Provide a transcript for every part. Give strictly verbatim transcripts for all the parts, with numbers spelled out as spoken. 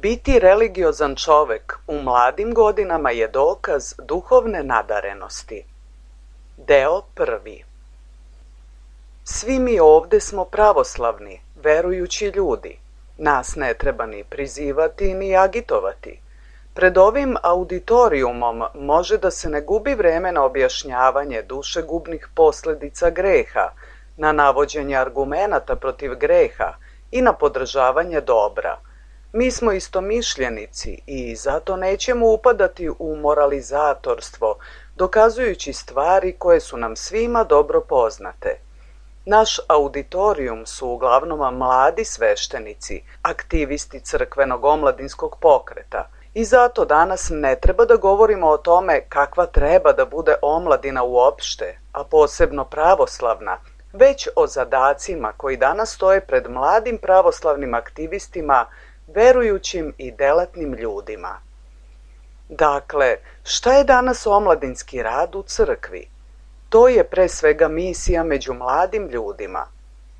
Biti religiozan čovek u mladim godinama je dokaz duhovne nadarenosti. Deo prvi. Svi mi ovde smo pravoslavni, verujući ljudi. Nas ne treba ni prizivati ni agitovati. Pred ovim auditorijumom može da se ne gubi vreme na objašnjavanje dušegubnih posledica greha, na navođenje argumenata protiv greha i na podržavanje dobra. Mi smo istomišljenici i zato nećemo upadati u moralizatorstvo, dokazujući stvari koje su nam svima dobro poznate. Naš auditorijum su uglavnom mladi sveštenici, aktivisti crkvenog omladinskog pokreta, i zato danas ne treba da govorimo o tome kakva treba da bude omladina uopšte, a posebno pravoslavna, već o zadacima koji danas stoje pred mladim pravoslavnim aktivistima, verujućim i delatnim ljudima. Dakle, šta je danas omladinski rad u crkvi? To je pre svega misija među mladim ljudima.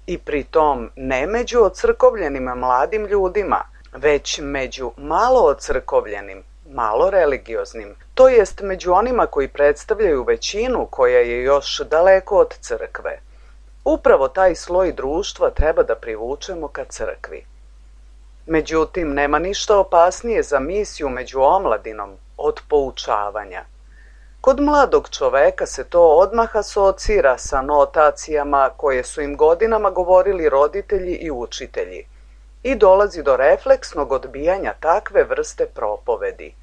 I pri tom ne među ocrkovljenim mladim ljudima, već među malo ocrkovljenim, malo religioznim, to jest među onima koji predstavljaju većinu koja je još daleko od crkve. Upravo taj sloj društva treba da privučemo ka crkvi. Međutim, nema ništa opasnije za misiju među omladinom od poučavanja. Kod mladog čoveka se to odmah asocira sa notacijama koje su im godinama govorili roditelji i učitelji i dolazi do refleksnog odbijanja takve vrste propovedi.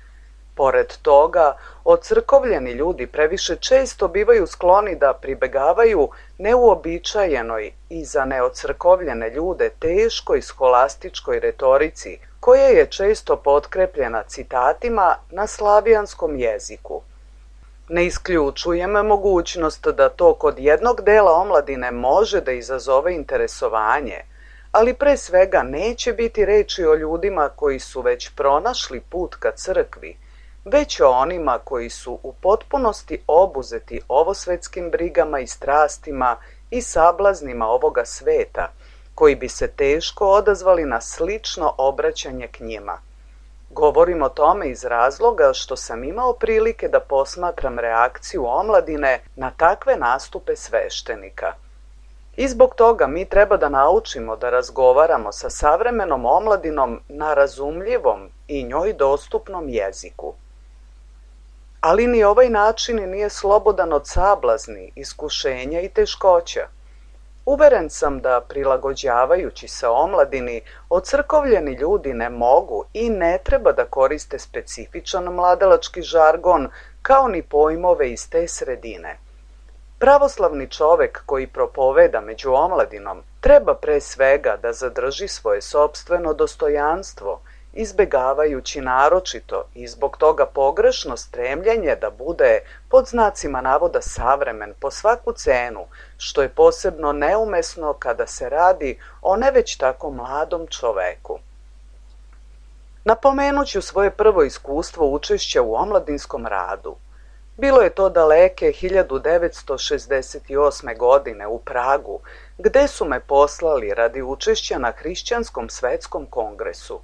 Pored toga, ocrkovljeni ljudi previše često bivaju skloni da pribegavaju neuobičajenoj i za neocrkovljene ljude teškoj scholastičkoj retorici, koja je često potkrepljena citatima na slavijanskom jeziku. Ne isključujem mogućnost da to kod jednog dela omladine može da izazove interesovanje, ali pre svega neće biti reči o ljudima koji su već pronašli put ka crkvi, već o onima koji su u potpunosti obuzeti ovosvetskim brigama i strastima i sablaznima ovoga sveta, koji bi se teško odazvali na slično obraćanje k njima. Govorim o tome iz razloga što sam imao prilike da posmatram reakciju omladine na takve nastupe sveštenika. I zbog toga mi treba da naučimo da razgovaramo sa savremenom omladinom na razumljivom i njoj dostupnom jeziku. ali ni ovaj način nije slobodan od sablazni, iskušenja i teškoća. Uveren sam da prilagođavajući se omladini, ocrkovljeni ljudi ne mogu i ne treba da koriste specifičan mladalački žargon kao ni pojmove iz te sredine. Pravoslavni čovek koji propoveda među omladinom treba pre svega da zadrži svoje sopstveno dostojanstvo, izbegavajući naročito i zbog toga pogrešno stremljenje da bude pod znacima navoda savremen po svaku cenu, što je posebno neumesno kada se radi o ne već tako mladom čoveku. Napomenut ću svoje prvo iskustvo učešća u omladinskom radu. Bilo je to daleke hiljadu devetsto šezdeset osme. godine u Pragu, gde su me poslali radi učešća na Hrišćanskom svetskom kongresu.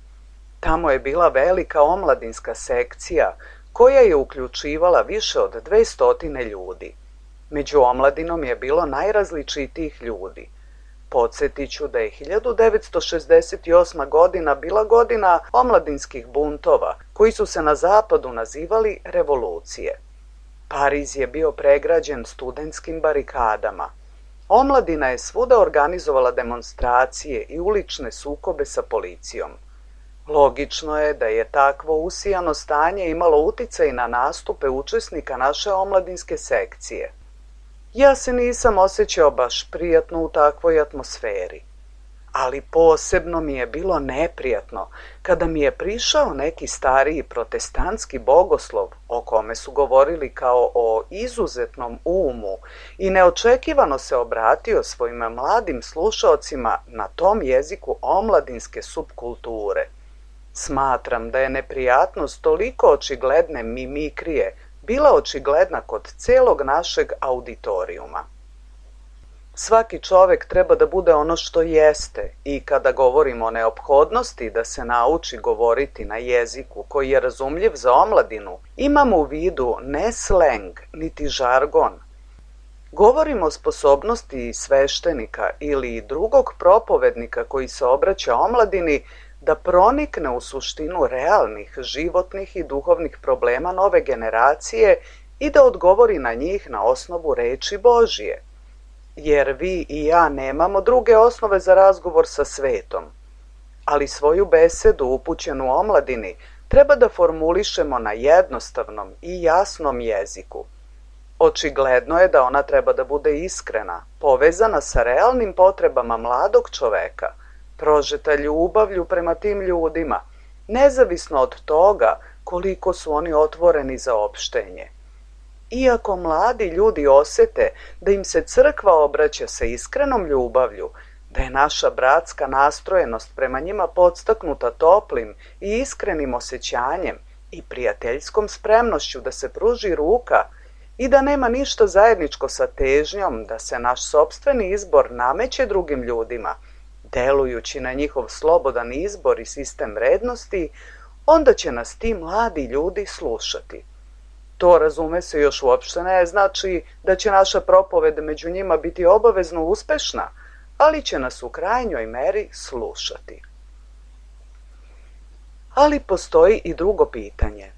Tamo je bila velika omladinska sekcija koja je uključivala više od dvestotine ljudi. Među omladinom je bilo najrazličitijih ljudi. Podsjetit ću da je hiljadu devetsto šezdeset osma. godina bila godina omladinskih buntova, koji su se na zapadu nazivali revolucije. Pariz je bio pregrađen studentskim barikadama. Omladina je svuda organizovala demonstracije i ulične sukobe sa policijom. Logično je da je takvo usijano stanje imalo uticaj na nastupe učesnika naše omladinske sekcije. Ja se nisam osjećao baš prijatno u takvoj atmosferi, ali posebno mi je bilo neprijatno kada mi je prišao neki stariji protestantski bogoslov o kome su govorili kao o izuzetnom umu i neočekivano se obratio svojim mladim slušaocima na tom jeziku omladinske subkulture. Smatram da je neprijatnost toliko očigledne mimikrije bila očigledna kod celog našeg auditorijuma. Svaki čovek treba da bude ono što jeste i kada govorimo o neophodnosti da se nauči govoriti na jeziku koji je razumljiv za omladinu, imamo u vidu ne sleng niti žargon. Govorimo o sposobnosti sveštenika ili drugog propovednika koji se obraća omladini da pronikne u suštinu realnih, životnih i duhovnih problema nove generacije i da odgovori na njih na osnovu reči Božije. Jer vi i ja nemamo druge osnove za razgovor sa svetom, ali svoju besedu upućenu omladini treba da formulišemo na jednostavnom i jasnom jeziku. Očigledno je da ona treba da bude iskrena, povezana sa realnim potrebama mladog čoveka, prožeta ljubavlju prema tim ljudima, nezavisno od toga koliko su oni otvoreni za opštenje. Iako mladi ljudi osete da im se crkva obraća sa iskrenom ljubavlju, da je naša bratska nastrojenost prema njima podstaknuta toplim i iskrenim osjećanjem i prijateljskom spremnošću da se pruži ruka i da nema ništa zajedničko sa težnjom da se naš sopstveni izbor nameće drugim ljudima, delujući na njihov slobodan izbor i sistem vrednosti, onda će nas ti mladi ljudi slušati. To, razume se, još uopšte ne znači da će naša propoved među njima biti obavezno uspešna, ali će nas u krajnjoj meri slušati. Ali postoji i drugo pitanje.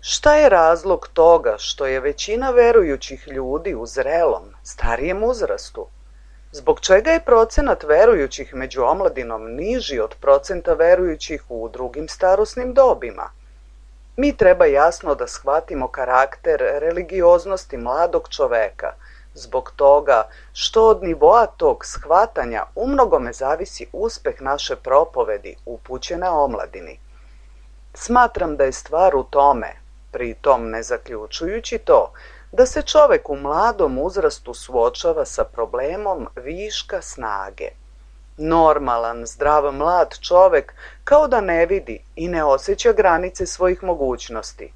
Šta je razlog toga što je većina verujućih ljudi u zrelom, starijem uzrastu? Zbog čega je procenat verujućih među omladinom niži od procenta verujućih u drugim starosnim dobima? Mi treba jasno da shvatimo karakter religioznosti mladog čoveka, zbog toga što od nivoa tog shvatanja umnogome zavisi uspeh naše propovedi upućene omladini. Smatram da je stvar u tome, pri tom ne zaključujući to, da se čovek u mladom uzrastu suočava sa problemom viška snage. Normalan, zdrav mlad čovek kao da ne vidi i ne osjeća granice svojih mogućnosti.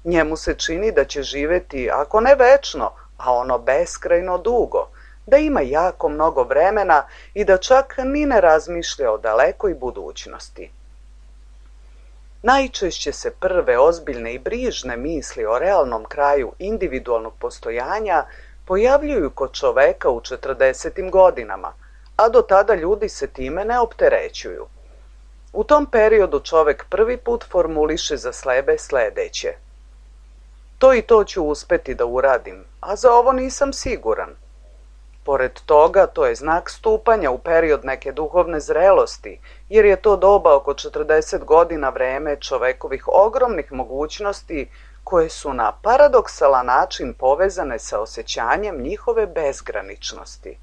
Njemu se čini da će živeti, ako ne večno, a ono beskrajno dugo, da ima jako mnogo vremena i da čak ni ne razmišlja o dalekoj budućnosti. Najčešće se prve ozbiljne i brižne misli o realnom kraju individualnog postojanja pojavljuju kod čoveka u četrdesetim godinama, a do tada ljudi se time ne opterećuju. U tom periodu čovek prvi put formuliše za sebe sledeće. To i to ću uspeti da uradim, a za ovo nisam siguran. Pored toga, to je znak stupanja u period neke duhovne zrelosti, jer je to doba oko četrdeset godina vreme čovekovih ogromnih mogućnosti koje su na paradoksalan način povezane sa osjećanjem njihove bezgraničnosti.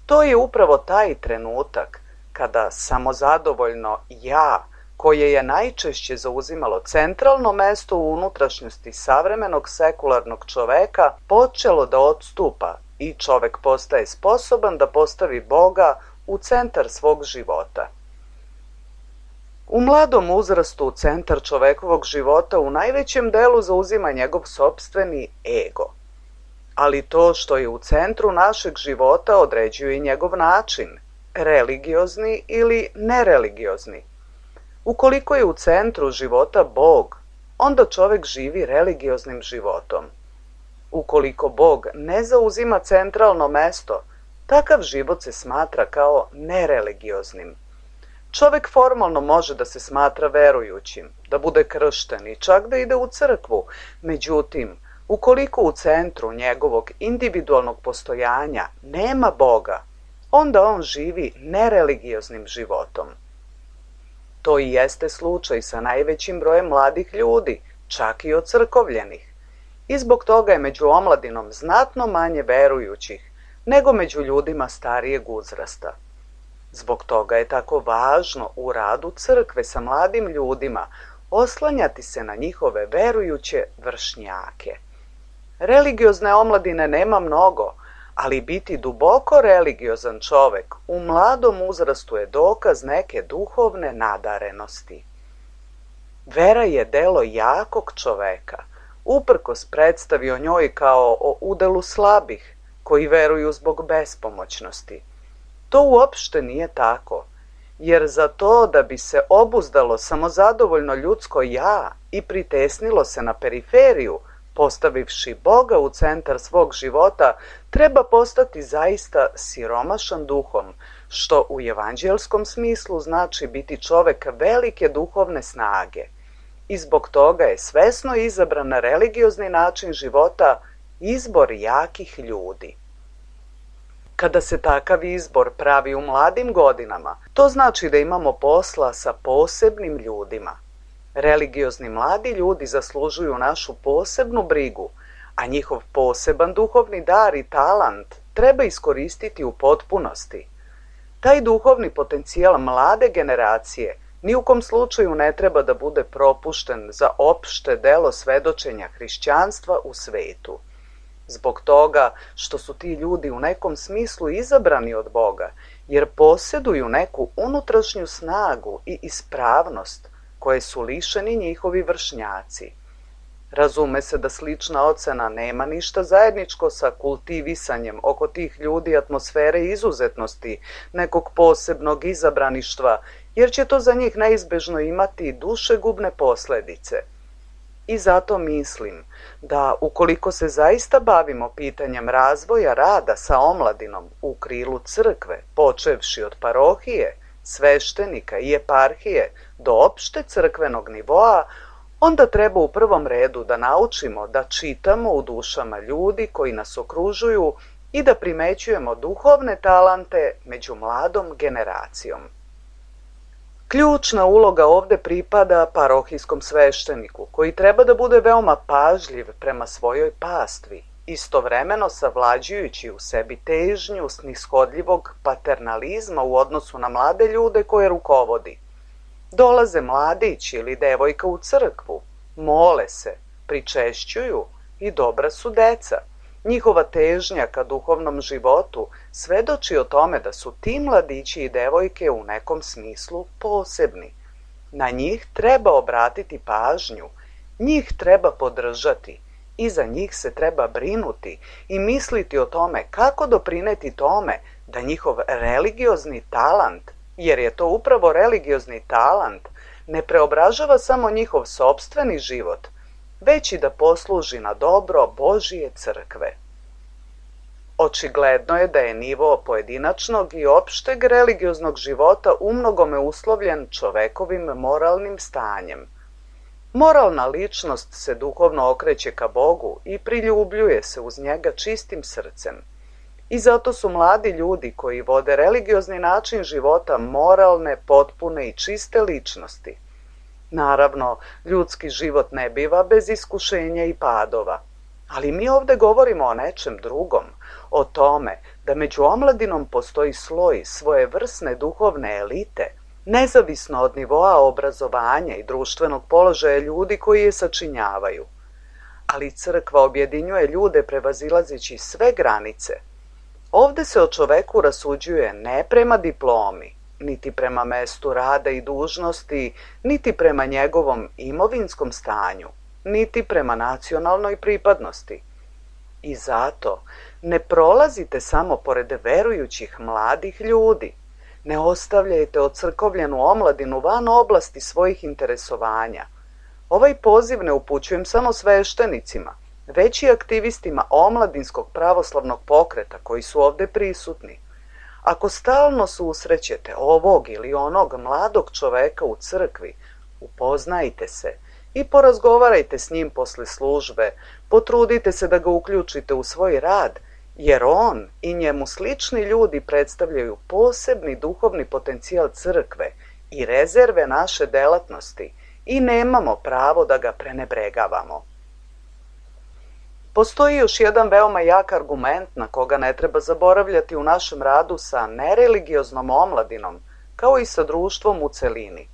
To je upravo taj trenutak kada samozadovoljno ja, koje je najčešće zauzimalo centralno mesto u unutrašnjosti savremenog sekularnog čoveka, počelo da odstupa i čovek postaje sposoban da postavi Boga u centar svog života. U mladom uzrastu centar čovekovog života u najvećem delu zauzima njegov sopstveni ego. Ali to što je u centru našeg života određuje i njegov način, religiozni ili nereligiozni. Ukoliko je u centru života Bog, onda čovek živi religioznim životom. Ukoliko Bog ne zauzima centralno mesto, takav život se smatra kao nereligioznim. Čovek formalno može da se smatra verujućim, da bude kršten i čak da ide u crkvu, međutim, ukoliko u centru njegovog individualnog postojanja nema Boga, onda on živi nereligioznim životom. To i jeste slučaj sa najvećim brojem mladih ljudi, čak i ocrkovljenih. I zbog toga je među omladinom znatno manje verujućih nego među ljudima starijeg uzrasta. Zbog toga je tako važno u radu crkve sa mladim ljudima oslanjati se na njihove verujuće vršnjake. Religiozne omladine nema mnogo, ali biti duboko religiozan čovek u mladom uzrastu je dokaz neke duhovne nadarenosti. Vera je delo jakog čoveka, uprkos predstavi o njoj kao o udelu slabih, koji veruju zbog bespomoćnosti. To uopšte nije tako, jer za to da bi se obuzdalo samozadovoljno ljudsko ja i pritesnilo se na periferiju, postavivši Boga u centar svog života, treba postati zaista siromašan duhom, što u evanđelskom smislu znači biti čovek velike duhovne snage. I zbog toga je svesno izabran religiozni način života izbor jakih ljudi. Kada se takav izbor pravi u mladim godinama, to znači da imamo posla sa posebnim ljudima. Religiozni mladi ljudi zaslužuju našu posebnu brigu, a njihov poseban duhovni dar i talant treba iskoristiti u potpunosti. Taj duhovni potencijal mlade generacije ni u kom slučaju ne treba da bude propušten za opšte delo svedočenja hrišćanstva u svetu. Zbog toga što su ti ljudi u nekom smislu izabrani od Boga, jer posjeduju neku unutrašnju snagu i ispravnost koje su lišeni njihovi vršnjaci. Razume se da slična ocena nema ništa zajedničko sa kultivisanjem oko tih ljudi atmosfere izuzetnosti, nekog posebnog izabraništva, jer će to za njih neizbežno imati dušegubne posledice. I zato mislim da ukoliko se zaista bavimo pitanjem razvoja rada sa omladinom u krilu crkve, počevši od parohije, sveštenika i eparhije do opšte crkvenog nivoa, onda treba u prvom redu da naučimo da čitamo u dušama ljudi koji nas okružuju i da primećujemo duhovne talante među mladom generacijom. Ključna uloga ovde pripada parohijskom svešteniku, koji treba da bude veoma pažljiv prema svojoj pastvi, istovremeno savlađujući u sebi težnju snishodljivog paternalizma u odnosu na mlade ljude koje rukovodi. Dolaze mladić ili devojka u crkvu, mole se, pričešćuju i dobra su deca. Njihova težnja ka duhovnom životu svedoči o tome da su ti mladići i devojke u nekom smislu posebni. Na njih treba obratiti pažnju, njih treba podržati i za njih se treba brinuti i misliti o tome kako doprineti tome da njihov religiozni talant, jer je to upravo religiozni talant, ne preobražava samo njihov sopstveni život, već i da posluži na dobro Božije crkve. Očigledno je da je nivo pojedinačnog i opšteg religioznog života umnogome uslovljen čovekovim moralnim stanjem. Moralna ličnost se duhovno okreće ka Bogu i priljubljuje se uz njega čistim srcem. I zato su mladi ljudi koji vode religiozni način života moralne, potpune i čiste ličnosti. Naravno, ljudski život ne biva bez iskušenja i padova. Ali mi ovdje govorimo o nečem drugom, o tome da među omladinom postoji sloj svojevrsne duhovne elite, nezavisno od nivoa obrazovanja i društvenog položaja ljudi koji je sačinjavaju. Ali crkva objedinjuje ljude prevazilazeći sve granice. Ovdje se o čoveku rasuđuje ne prema diplomi, niti prema mestu rada i dužnosti, niti prema njegovom imovinskom stanju, niti prema nacionalnoj pripadnosti. I zato ne prolazite samo pored verujućih mladih ljudi, ne ostavljajte ocrkovljenu omladinu van oblasti svojih interesovanja. Ovaj poziv ne upućujem samo sveštenicima, već i aktivistima omladinskog pravoslavnog pokreta koji su ovdje prisutni. Ako stalno susrećete ovog ili onog mladog čoveka u crkvi, upoznajte se i porazgovarajte s njim posle službe, potrudite se da ga uključite u svoj rad, jer on i njemu slični ljudi predstavljaju posebni duhovni potencijal crkve i rezerve naše delatnosti i nemamo pravo da ga prenebregavamo. Postoji još jedan veoma jak argument na koga ne treba zaboravljati u našem radu sa nereligioznom omladinom, kao i sa društvom u celini.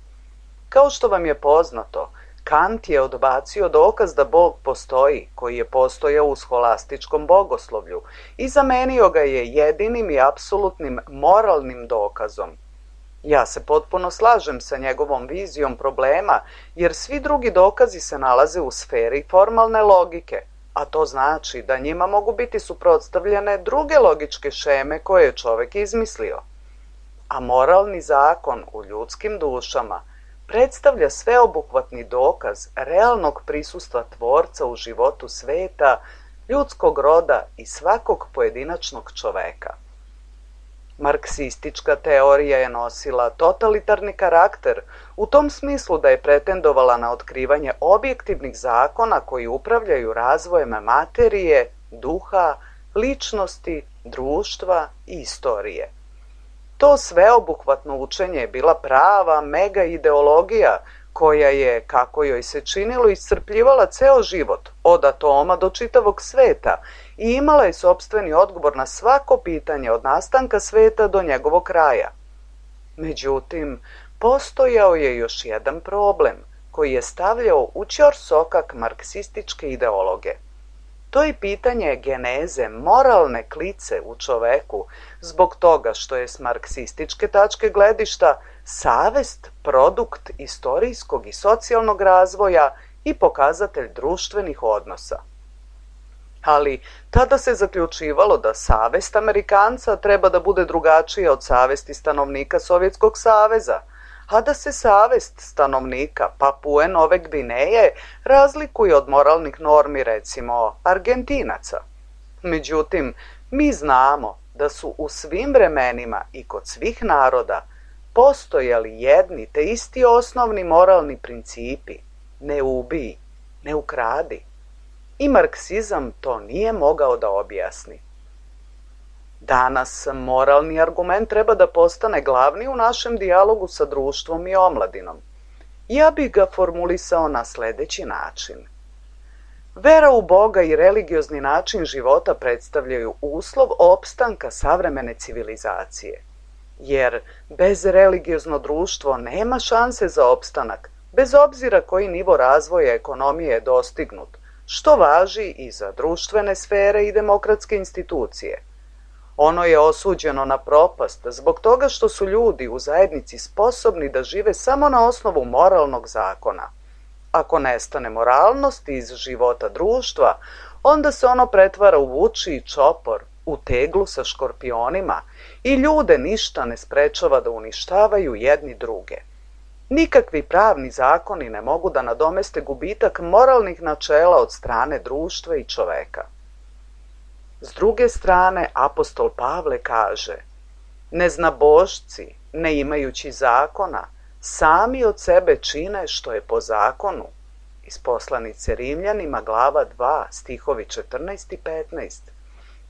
Kao što vam je poznato, Kant je odbacio dokaz da Bog postoji, koji je postojao u scholastičkom bogoslovlju, i zamenio ga je jedinim i apsolutnim moralnim dokazom. Ja se potpuno slažem sa njegovom vizijom problema, jer svi drugi dokazi se nalaze u sferi formalne logike, a to znači da njima mogu biti suprotstavljene druge logičke šeme koje je čovek izmislio. A moralni zakon u ljudskim dušama predstavlja sveobuhvatni dokaz realnog prisustva Tvorca u životu sveta, ljudskog roda i svakog pojedinačnog čoveka. Marksistička teorija je nosila totalitarni karakter u tom smislu da je pretendovala na otkrivanje objektivnih zakona koji upravljaju razvojem materije, duha, ličnosti, društva i istorije. To sveobuhvatno učenje je bila prava mega ideologija koja je, kako joj se činilo, iscrpljivala ceo život, od atoma do čitavog sveta, i imala je sopstveni odgovor na svako pitanje od nastanka sveta do njegovog kraja. Međutim, postojao je još jedan problem koji je stavljao u ćorsokak marksističke ideologe. To je pitanje geneze moralne klice u čoveku, zbog toga što je s marksističke tačke gledišta savest produkt istorijskog i socijalnog razvoja i pokazatelj društvenih odnosa. Ali tada se zaključivalo da savest Amerikanca treba da bude drugačija od savesti stanovnika Sovjetskog saveza, a da se savest stanovnika Papue Nove Gvineje razlikuje od moralnih normi, recimo, Argentinaca. Međutim, mi znamo da su u svim vremenima i kod svih naroda postojali jedni te isti osnovni moralni principi: ne ubij, ne ukradi. I marksizam to nije mogao da objasni. Danas moralni argument treba da postane glavni u našem dijalogu sa društvom i omladinom. Ja bih ga formulisao na sljedeći način. Vera u Boga i religiozni način života predstavljaju uslov opstanka savremene civilizacije. Jer bez religiozno društvo nema šanse za opstanak, bez obzira koji nivo razvoja ekonomije je dostignut, što važi i za društvene sfere i demokratske institucije. Ono je osuđeno na propast zbog toga što su ljudi u zajednici sposobni da žive samo na osnovu moralnog zakona. Ako nestane moralnost iz života društva, onda se ono pretvara u vučiji čopor, u teglu sa škorpionima, i ljude ništa ne sprečava da uništavaju jedni druge. Nikakvi pravni zakoni ne mogu da nadomeste gubitak moralnih načela od strane društva i čoveka. S druge strane, apostol Pavle kaže: neznabošci, ne imajući zakona, sami od sebe čine što je po zakonu, iz poslanice Rimljanima, glava dva, stihovi četrnaest i petnaest.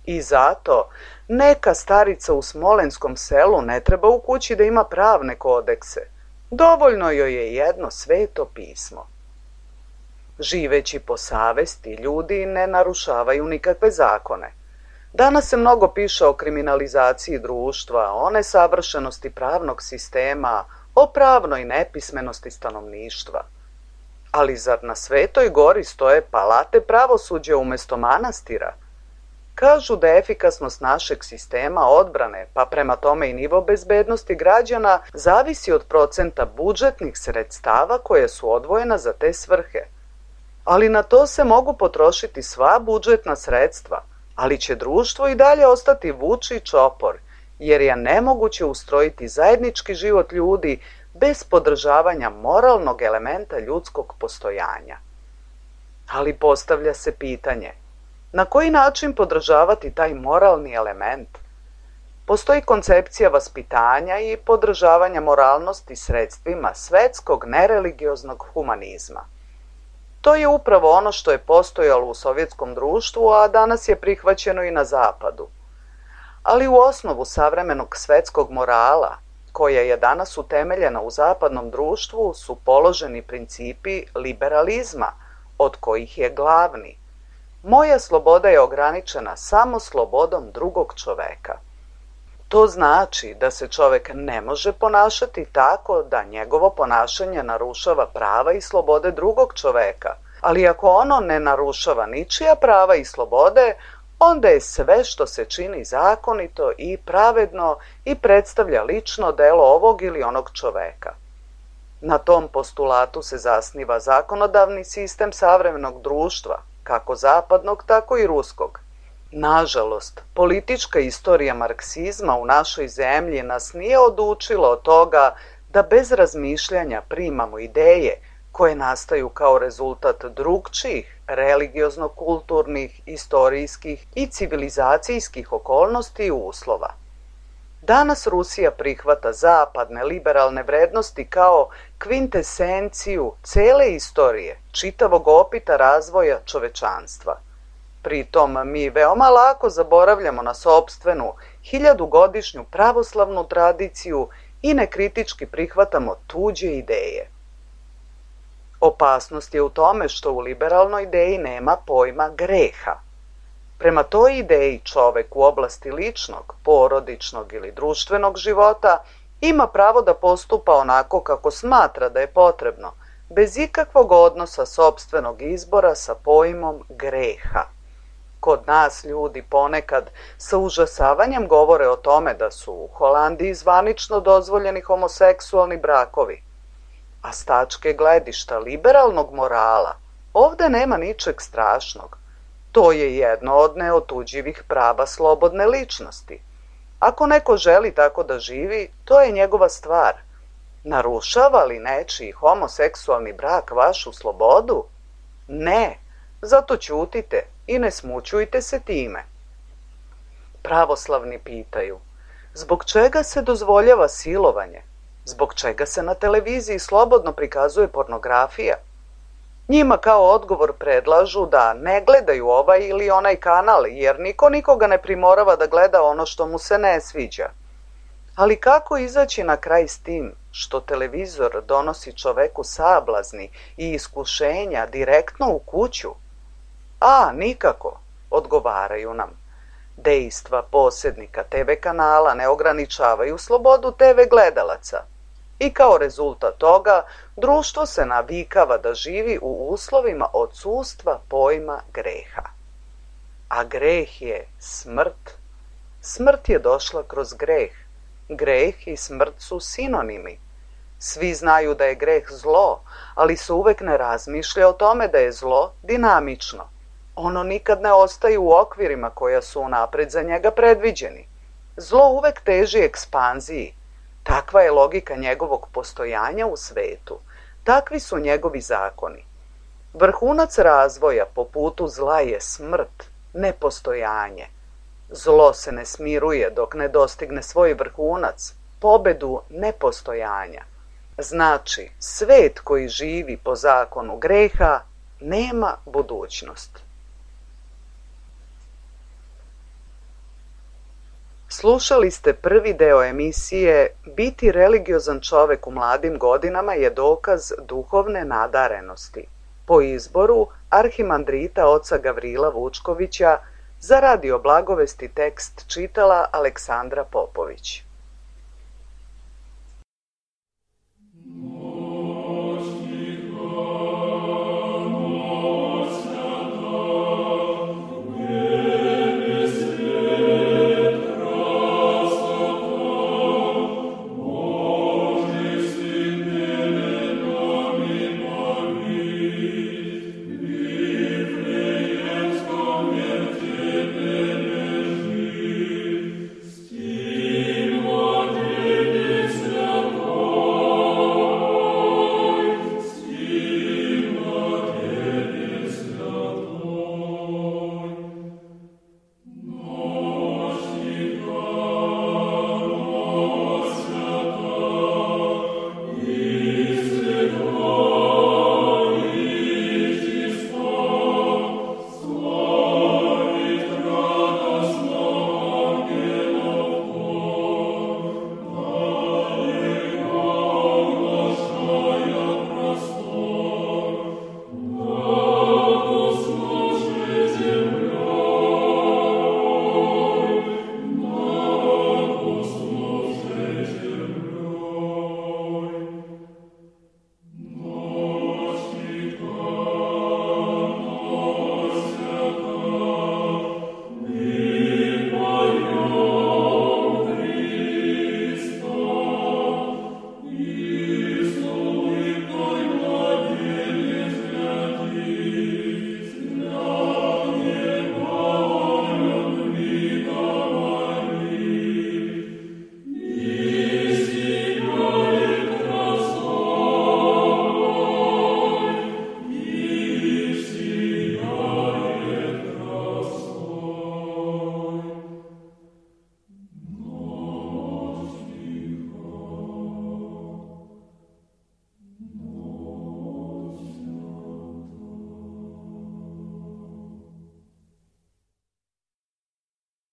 I zato neka starica u smolenskom selu ne treba u kući da ima pravne kodekse. Dovoljno joj je jedno sveto pismo. Živeći po savesti, ljudi ne narušavaju nikakve zakone. Danas se mnogo piše o kriminalizaciji društva, o nesavršenosti pravnog sistema, o pravnoj nepismenosti stanovništva. Ali zar na Svetoj gori stoje palate pravosuđa umjesto manastira? Kažu da je efikasnost našeg sistema odbrane, pa prema tome i nivo bezbednosti građana, zavisi od procenta budžetnih sredstava koje su odvojena za te svrhe. Ali na to se mogu potrošiti sva budžetna sredstva, ali će društvo i dalje ostati vuči čopor, jer je nemoguće ustrojiti zajednički život ljudi bez podržavanja moralnog elementa ljudskog postojanja. Ali postavlja se pitanje, na koji način podržavati taj moralni element? Postoji koncepcija vaspitanja i podržavanja moralnosti sredstvima svetskog nereligioznog humanizma. To je upravo ono što je postojalo u sovjetskom društvu, a danas je prihvaćeno i na zapadu. Ali u osnovu savremenog svetskog morala, koja je danas utemeljena u zapadnom društvu, su položeni principi liberalizma, od kojih je glavni: moja sloboda je ograničena samo slobodom drugog čoveka. To znači da se čovek ne može ponašati tako da njegovo ponašanje narušava prava i slobode drugog čoveka, ali ako ono ne narušava ničija prava i slobode, onda je sve što se čini zakonito i pravedno i predstavlja lično delo ovog ili onog čoveka. Na tom postulatu se zasniva zakonodavni sistem savremenog društva, kako zapadnog, tako i ruskog. Nažalost, politička istorija marksizma u našoj zemlji nas nije odučila od toga da bez razmišljanja primamo ideje koje nastaju kao rezultat drugčijih religiozno-kulturnih, istorijskih i civilizacijskih okolnosti i uslova. Danas Rusija prihvata zapadne liberalne vrednosti kao kvintesenciju cele istorije, čitavog opita razvoja čovečanstva. Pritom mi veoma lako zaboravljamo na sopstvenu hiljadugodišnju pravoslavnu tradiciju i nekritički prihvatamo tuđe ideje. Opasnost je u tome što u liberalnoj ideji nema pojma greha. Prema toj ideji čovek u oblasti ličnog, porodičnog ili društvenog života ima pravo da postupa onako kako smatra da je potrebno, bez ikakvog odnosa sopstvenog izbora sa pojmom greha. Kod nas ljudi ponekad sa užasavanjem govore o tome da su u Holandiji zvanično dozvoljeni homoseksualni brakovi. A s tačke gledišta liberalnog morala ovde nema ničeg strašnog. To je jedno od neotuđivih prava slobodne ličnosti. Ako neko želi tako da živi, to je njegova stvar. Narušava li nečiji homoseksualni brak vašu slobodu? Ne, zato ćutite i ne smućujte se time. Pravoslavni pitaju, zbog čega se dozvoljava silovanje? Zbog čega se na televiziji slobodno prikazuje pornografija? Njima kao odgovor predlažu da ne gledaju ovaj ili onaj kanal, jer niko nikoga ne primorava da gleda ono što mu se ne sviđa. Ali kako izaći na kraj s tim što televizor donosi čoveku sablazni i iskušenja direktno u kuću? A, nikako, odgovaraju nam. Dejstva posjednika te ve kanala ne ograničavaju slobodu te ve gledalaca. I kao rezultat toga, društvo se navikava da živi u uslovima odsustva pojma greha. A greh je smrt. Smrt je došla kroz greh. Greh i smrt su sinonimi. Svi znaju da je greh zlo, ali se uvek ne razmišlja o tome da je zlo dinamično. Ono nikad ne ostaje u okvirima koja su unapred za njega predviđeni. Zlo uvek teži ekspanziji. Takva je logika njegovog postojanja u svetu. Takvi su njegovi zakoni. Vrhunac razvoja po putu zla je smrt, nepostojanje. Zlo se ne smiruje dok ne dostigne svoj vrhunac, pobedu nepostojanja. Znači, svet koji živi po zakonu greha nema budućnost. Slušali ste prvi deo emisije Biti religiozan čovek u mladim godinama je dokaz duhovne nadarenosti, po izboru arhimandrita oca Gavrila Vučkovića. Za Radio Blagovesti tekst čitala Aleksandra Popović.